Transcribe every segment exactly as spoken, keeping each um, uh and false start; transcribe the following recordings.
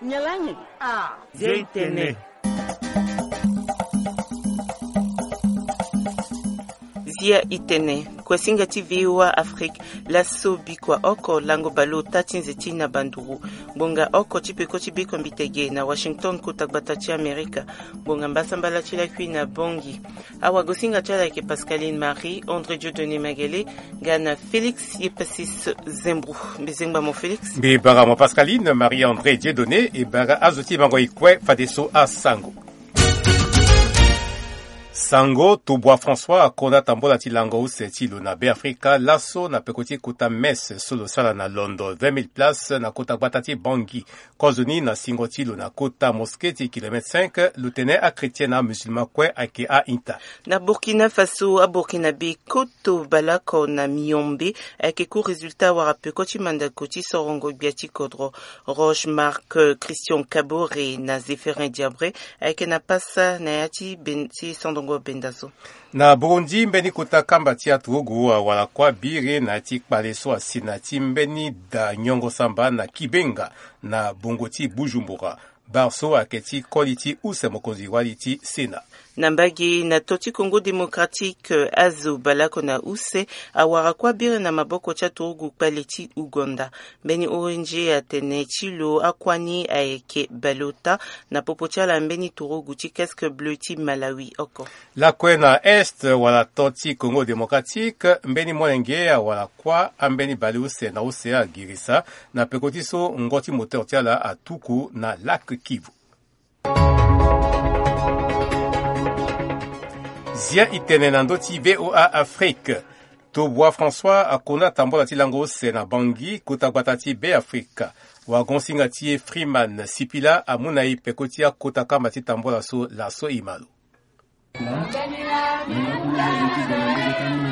Nyalangi. Ah. Zia itene. Zia itene. Kuasinga ti V O A Afrique. Laso bikua oko lango baleota ti nze ti na banduru. Ngbonga oko ti peko ti biko mbitege na Washington, kota gbata ti Amerika. Ngbonga mbasambala ti lakui na Bongi. Awagosinga ti ala ayeke Pascaline Marie André Dieudonné Magele, nga na Félix Yepasis Zembro. Mbi zengba mo Félix. Mbi bara mo Pascaline Marie André Dieudonné, e bara azo ti mango e kue fadeso asango. Sango Tobua François akonda tambola ti lango use ti lo na Beafrika laso na peko ti kota messe so lo sara na londo vingt mille places na kota gbata ti Bangui. Kozoni na singo ti lo na kota mosquée ti kilomètre cinq, lo tene achrétien na amusulman kue ayeke a-ita. Na Burkina Faso, aburkinabe koto baleoko na miombe ayeke ku résultat wala peko ti mandako ti sorongo gbia ti kodro. Roche Marc, euh, Christian Kabore na Zéphirin Diabré ayeke na pasa na ya ti ben-, ti sondongo benda so. Na Burundi, mbeni kota kamba ti aturugu awara kuâ biri na ya ti kpale so asi na ya ti mbeni da nyongo samba na Kibenga na bongo ti Bujumbura. Bar so ayeke ti koli ti use mokonzi wali ti Sénat. Na mbage na to ti Congo Démocratique, azo baleoko na use awara kuâ biri na maboko ti aturugu kpale ti Ouganda. Mbeni O N G atene ti lo akuâ ni ayeke baleota na popo ti ala mbeni turugu ti Casque Bleu ti Malawi oko. Lakue na Est wala to ti Congo Démocratique, mbeni molenge awara kuâ ambeni baleuse na use agirisa na peko ti so ngo ti moteur ti ala atuku na lac Kivu. Zia itene na ndö ti V O A Afrique. Tobua François akonda tambola ti lango use na Bangui, kota gbata ti Beafrika. Wagonsinga ti e Freeman Sipila amu na e peko ti akota kamba ti tambola so laso e ma lo.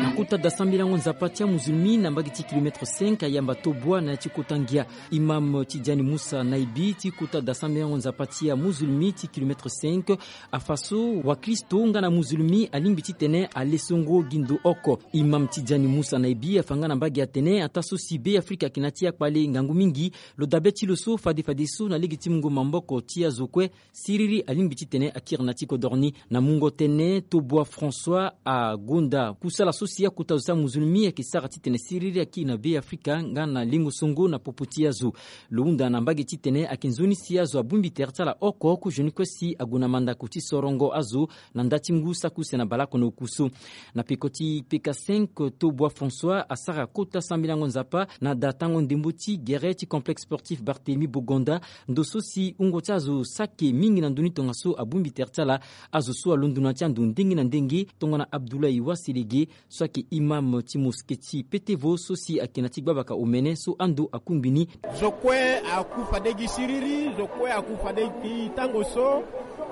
Na kota da sambelango nzapa ti amuzulmi na mbage ti kilomètre cinq ayamba Tobua na ya ti kota ngia. Imam Tidiane Moussa Naibi ti kota da sambelango nzapa ti amuzulmi ti kilomètre cinq afa so wakristo nga na muzulmi alingbi titene ale songo gi ndo oko. Imam Tidiane Moussa Naibi afa nga na mbage atene ataa so si Beafrika ayeke na ya ti akpale ngangu mingi, lo dabe ti lo so fade fadeso na lege ti mungo maboko ti azo kue. Siriri alingbi titene akiri na ya ti kodoro ni. Na mungo tënë, Tobua François agonda kusala so si akota zo ti amuzulmi ayeke sara titene siriri akiri na Beafrika nga na lengo songo na popo ti azo. Lo hunda na mbage titene ayeke nzoni si azo abongbi tere ti ala oko kozoni kue si ague na mandako ti sorongo azo na nda ti ngu saki use na baleoko na oku so. Na peko ti P K cinq, Tobua François asara kota sambelango nzapa na da tango ndembo ti gere ti complexe sportif Barthélemy Bogonda, ndo so si wungo ti azo saki mingi na ndö ni tongaso abongbi tere ti ala. Azo so alondo na ya ti ando ndenge na ndenge tongana Abdoulaye Waselege so ayeke imam ti mosquée ti Petevo so si ayeke na ya ti gbabaka omene so ando akungbi ni. Zo kue aku fade gi siriri, zo kue aku fade gi tango so.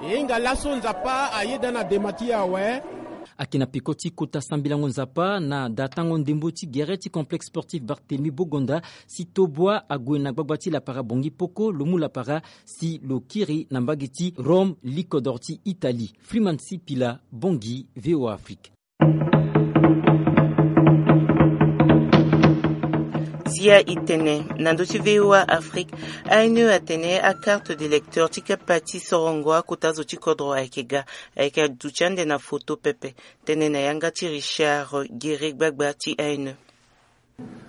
E hinga laso Nzapa ayeda na dema ti e awe. Ayeke na peko ti kota sambelango nzapa na da tango ndembo ti gere ti complexe sportif Barthélemy Bogonda si Tobua ague na gbagba ti lapara Bangui Poko, lo mu lapara si lo kiri na mbage ti Rome, likodoro ti Italie. Freeman Sipila, Bangui, V O A Afrique. Zia itene na ndö ti V O A Afrique, A N E atene akarte d'électeur ti kapa ti sorongo akota zo ti kodro ayeke ga, ayeke aduti ande na foto pepe. Tënë na yanga ti Richard Guéry, gbagba ti A N E.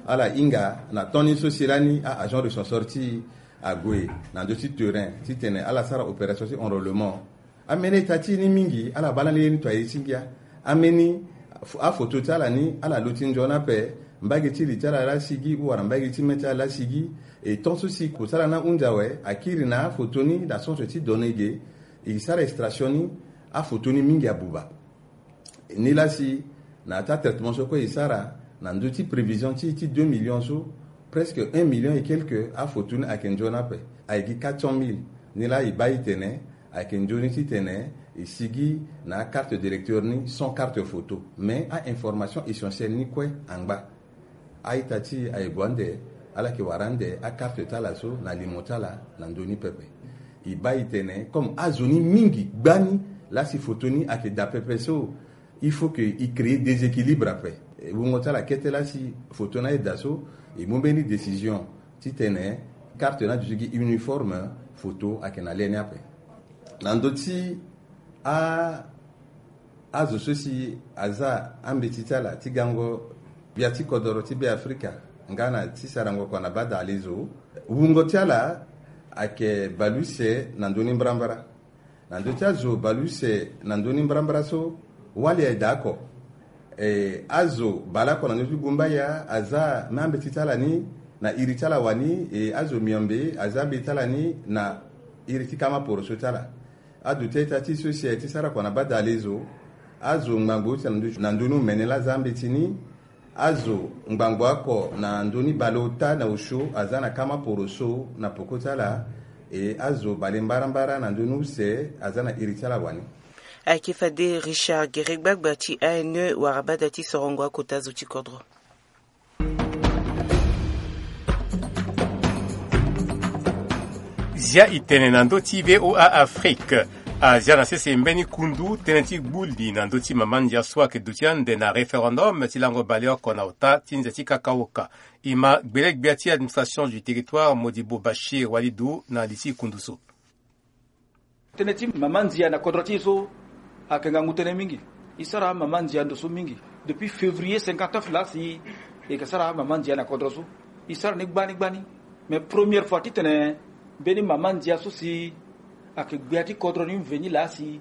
Ala hinga na temps ni so si lani a-agent recenseur ti e ague na ndö ti terrain titene ala sara opération ti enrôlement. Ambeni ita ti e ni mingi ala baa lani ye ni to aye ti ngia. Ambeni f-, afoto ti ala ni ala luti nzoni ape. Mbage ti li ti ala laa sigi ou wala mbage ti mê ti ala laa sigi. E temps so si kosala ni ahunzi awe, akiri na afoto ni na centre ti données ge. E sara extraction ni, afoto ni mingi abuba. Nilaa si na ya ti atraitement so kue e sara na ndö ti prévision ti e ti deux millions so, presque un million et quelque afoto ni ayeke nzoni ape. Ayeke gi quatre cent mille. Nilaa e baa e tene ayeke nzoni titene e sigi na akarte d'électeur ni sans carte photo. Mais a-information essentielle ni kue angba. A-ita ti e aye gue ande, ala yeke wara ande akarte ti ala so na limo ti ala na ndö ni pepe. E baa e tene comme azo ni mingi gbani laa si foto ni ayeke daa pepe so, il faut que e créer déséquilibre ape. E wungo ti ala kete laa si foto ni aye daa so, e mu mbeni décision titene carte ni aduti gi uniforme. Poto ayeke na lê ni ape. Na ndö ti a azo so si aza ambeti ti ala ti gango gbia ti kodoro ti Be Afrika nga na ti sarango kua na bada ale zo, wungo ti ala ayeke baleuse na ndö ni mbrambra. Na ndö ti azo baleuse na ndö ni mbrambra so, wali ayeke daa oko. E, azo baleoko na ndö ti gumbaya aza ambeti ti ala ni na iri ti ala wani, e, azo miombe aza ambeti ti ala ni na iri ti kama poroso ti ala. Aduti a-ita ti so si aye ti sara kua na bada ale zo, azo ngbangbo use na ndö ti, na ndö ni omene laa aza ambeti ni. Azo ngbangbo oko na ndö ni baleota na osio aza na kama poroso na poko ti ala. E, azo bale mbarambara na ndö ni use aza na iri ti ala wani. Ayeke fade Richard Gere, gbagba ti A N E, wara bada ti sorongo akota zo ti kodro. Zia e tene na ndö ti V O A Afrique. Azia na sese mbeni kundu tënë ti gbu li na ndö ti mama ndia so ayeke duti ande na référendum ti lango baleoko na ota ti nze ti kakaoka. E ma gbele gbia ti administration du territoire Modibo Bachir Walidou na li ti kundu so. Tënë ti mama ndia na kodro ti e so ayeke ngangu tënë mingi. E sara mama ndia ndo so mingi. Depuis février cinquante-neuf laa si e yeke sara mama ndia na kodro so, e sara ni gbani gbani. Mais première fois titene mbeni mama ndia so si ayeke gbia ti kodro ni mveni laa si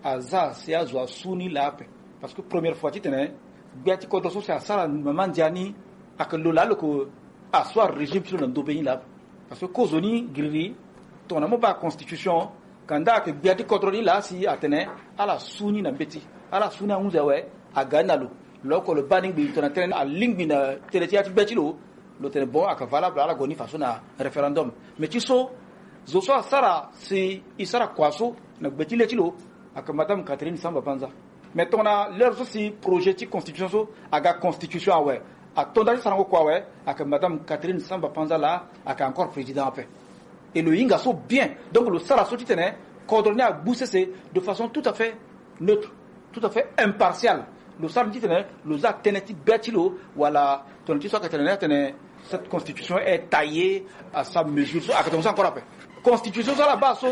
aza si azo asu ni laa ape. Parce que première fois titene gbia ti kodro so si asara mama ndia ni ayeke lo laa lo yeke aso arégime ti lo na ndobe ni laa ape. Parce que kozoni giriri tongana mo baa constitution, kanda ayeke gbia ti kodro ni laa si atene ala su ni na mbeti, ala su ni ahunzi awe, aga ni na lo. Lo oko lo baa ni ngbii tongana tënë ni alingbi na tënë ti ya ti gbe ti lo, lo tene bon, ayeke valable, ala gue ni faso na référendum. Mais ti so, zo so asara si e sara kua so na gbe ti le ti lo, ayeke madame Catherine Samba Panza. Mais tongana l'heure so si projet ti constitution so aga constitution awe, atonda ti sarango kua awe, ayeke madame Catherine Samba Panza laa ayeke encore président ape. Et lo hinga so bien. Donc lo sara so titene kodro ni agbu sese de façon tout à fait neutre, tout à fait impartiale. Lo sara ni titene lo za tënë ti be ti lo, wala tongana ti so ayeke tene ni atene cette constitution est taillée à sa mesure, so ayeke tene so encore ape. Constitution so ala baa so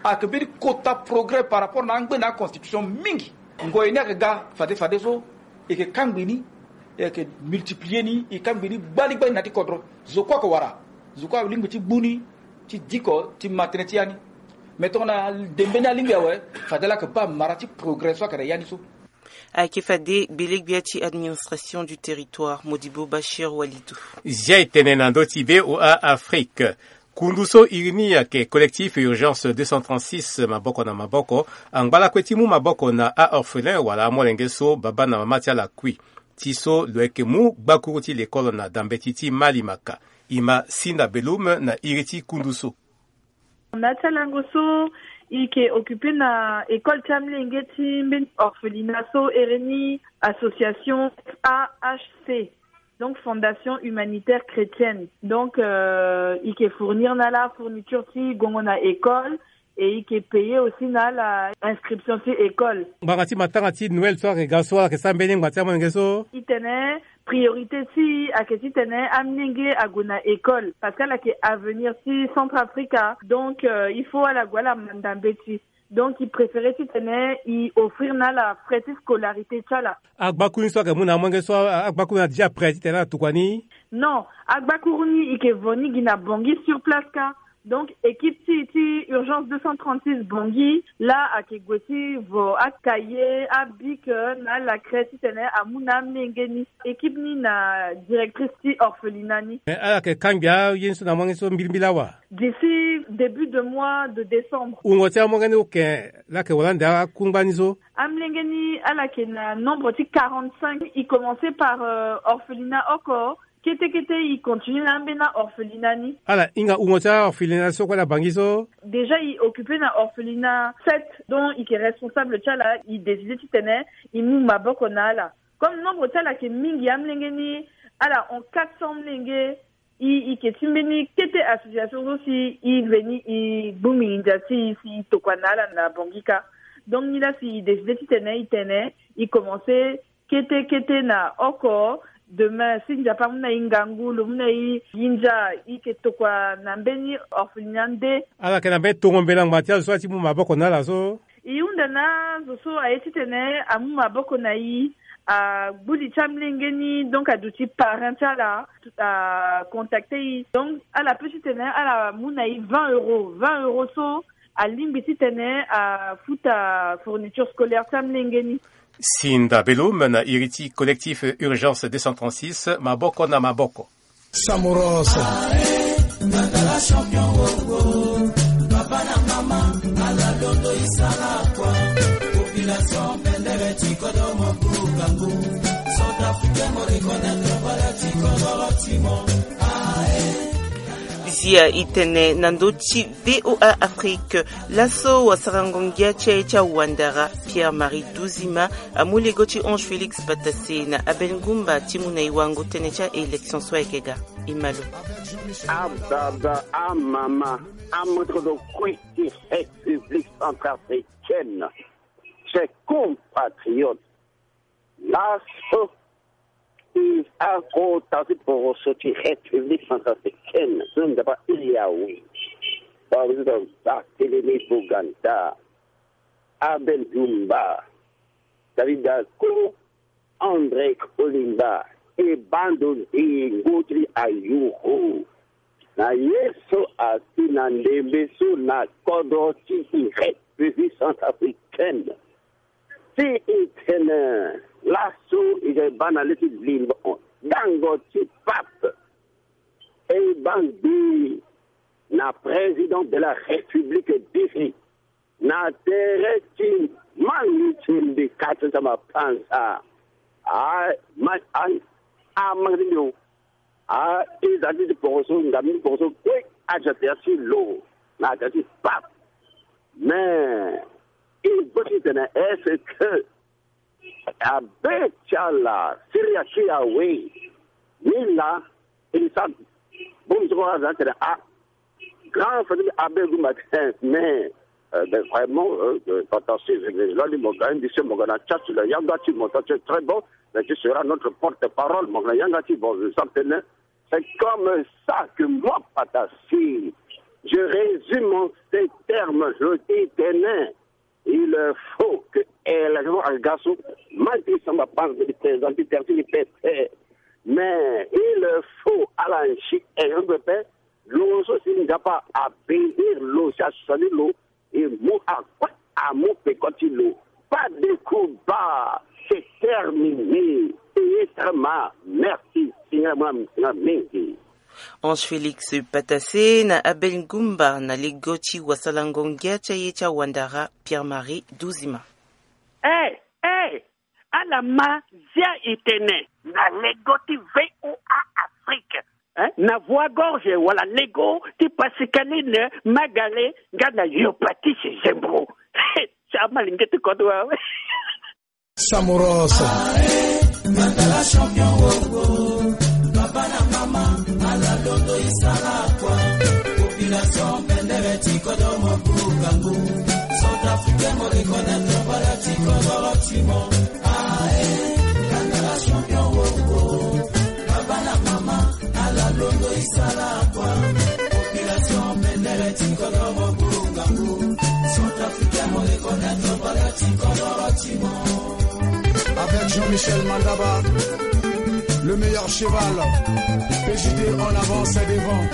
ayeke mbeni kota progrès par rapport na angbene aconstitution mingi. Ngoi ni ayeke ga fade fade so, e yeke kangbi ni, e yeke multiplier ni, e kangbi ni gbani gbani na ya ti kodro. Zo kue ayeke wara, zo kue alingbi ti gbu ni ti diko ti ma tënë ti ya ni. Mais tongana de mbeni alingbi awe, fade ala yeke baa mara ti progrès so ayeke na ya ni so. Ayeke fade gbele gbia ti administration du territoire Modibo Bachir Walidou. Zia e tene na ndö ti V O A Afrique. Kundu so iri ni ayeke Collectif Urgence deux cent trente-six, maboko na maboko, angba lakue ti mu maboko na a-orphelin wala amolenge so babâ na mama ti ala kui. Ti so lo yeke mu gbakuru ti lekole na dambeti ti Malimaka. E ma si na belume na iri ti kundu so. Na ti alango so, e yeke occupe na école ti amolenge ti mbeni orphelinat so ere ni association F A H C, donc Fondation Humanitaire Chrétienne. Donc, euh, e yeke fournir na ala fourniture ti gongo na école, et e yeke payer aussi na ala inscription ti école. Ngbanga ti matanga ti Noël so ayeke ga so, ala yeke sara mbeni ngbanga ti amolenge so. E tene priorité ti e ayeke titene amolenge ague na école, parce que ala yeke avenir ti Centrafrique. Donc, euh, il faut ala gue ala manda mbeti. Donc e préféré titene e offrir na ala frais ti scolarité ti ala. Agbakuru ni so ayeke mu na amolenge so, a- agbakuru ni adia prêt titene ala tokua ni? Non, agbakuru ni e yeke vo ni gi na Bangui sur place kâ. Donc équipe ti, ti Urgence deux cent trente-six Bangui laa ayeke gue ti vo acahier, abic, euh, na ala craie titene amu na amolenge ni. Équipe ni na directrice ti orphelinat ni. Mais ala yeke kangbi aye ni so na amolenge so mbilimbili awa? D'ici début de mois de décembre. Wungo ti amolenge ni oke laa ayeke wara ande akungba ni so? Amolenge ni ala yeke na nombre ti quarante-cinq. E commencé par, euh, orphelinat oko. Kete kete e continue na ambeni aorphelinat ni. Ala hinga wungo ti aorphelinat so kue na Bangui so? Déjà e occupé na orphelinat sept, donc e yeke responsable ti ala, e décidé titene e mu maboko na ala. Comme nombre ti ala yeke mingi, amolenge ni ala hon quatre cents amolenge, e, e yeke ti mbeni kete association so si e veni e gbu mingi ndia ti e si e tokua na ala na Bangui kâ. Donc ni laa si e décidé titene e tene e commencé kete kete na oko, Demain si Nzapa amu na e ngangu, lo mu na e nginza, e yeke tokua na mbeni orphelinat nde. Ala yeke na mbeni tongo mbela ngbanga ti azo so ati mu maboko na ala so. E hunda na azo so aye titene amu maboko na e, agbu li ti amolenge ni, donc aduti parrain ti ala, acontacte e. Donc ala peut titene ala mu na e vingt euros, vingt euros so alingbi titene afuta fourniture scolaire ti amolenge ni. Sinda Belum na iri ti collectif Urgence deux cent trente-six, maboko na maboko. Samuros. Zia e tene na ndö ti V O A Afrique. Laso wasarango ngia ti aye ti awandara, Pierre Marie Duzima, amu lego ti Ange Félix Patassé na Abel Ngumba ti mu na e wango tënë ti a-élection so ayeke ga. E ma lo. Ababa, amama, amoto kue ti République centrafricaine, chers compatriotes, laso e akota ti poroso ti République centrafricaine so Nzapa ahiri awe. Baa, batelemi Boganda, Abel Ngumba, David Ako, André Kolimba, e bando ndengo ti ayoro na ye so asi na ndembe so na kodro ti République centrafricaine. Si e tene laso e ga e baa na le ti limbo dango ti pape, e baa ngbii na président de la République diri na tere ti mangi ti mbi kati ti mapanza. A, ma, a, a mangi ti mbi o. A, e za ti ti poroso, nga mbi poroso kue, aza tere ti lo na tere ti pape. Mais e gbo titene est-ce que abe ti ala siri ake awe? Ni laa e sara bongbi ti kua aza tene a, grand frère ti mbi Abel Ngumba tene, mais, euh, ben, vraiment, euh, euh, Patassé, je, je, je, mo ga indi se mo ga na tcha ti lo, yanga ti mo, toi, tu es très bon, mais tu seras notre porte-parole, mo ga na yanga ti mo, je sens tene. C'est comme ça que moi, Patassé, je résume en ces termes, je dis tene, il faut que élection aga so, ma ti samba panza ti président ti terti ni pepe. Mais il faut ala nsi élection pepe, lo so si Nzapa abénir lo, si asali lo, e mu akue, amu peko ti lo. Pas de combat, c'est terminé. Payé très mal. Merci. Singa mwa, singa mingi. Ange Félix Patassé na Abel Ngumba na lego ti wasalango ngia ti aye ti awandara Pierre Marie Duzima. Eh, eh, ala ma zia e tene na lego ti V O A Afrique, hein? Na Voix Gorge wala lego ti Pascaline Magalé nga na Yo Patrice Zembro. Ti amalingeti kodro awe. Samuros. Avec Jean-Michel Mandaba, le meilleur cheval. P J D en avance et devant.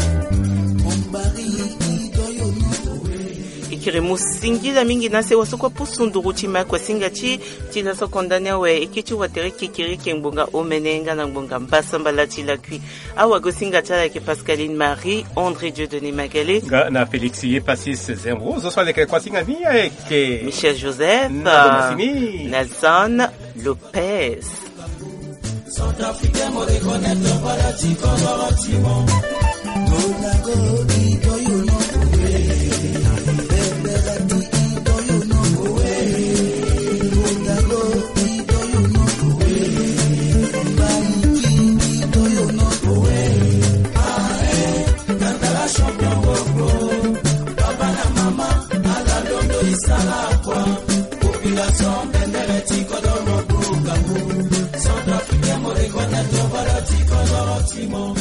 E kiri mu singila mingi na sewa so kue pusu nduru ti ma kua singa ti, ti laso konda ni awe, e kiri ti watere kekereke ngbonga omene nga na ngbonga mbasambala ti lakui. Awagosinga ti ala ayeke Pascaline Marie, André Dieudonné Magalé. Nga na Félix Yepassis Zembro, zo so aleke kuasinga ni ayeke Michel Joseph, na Domasini, na Zan Lopez. Simon,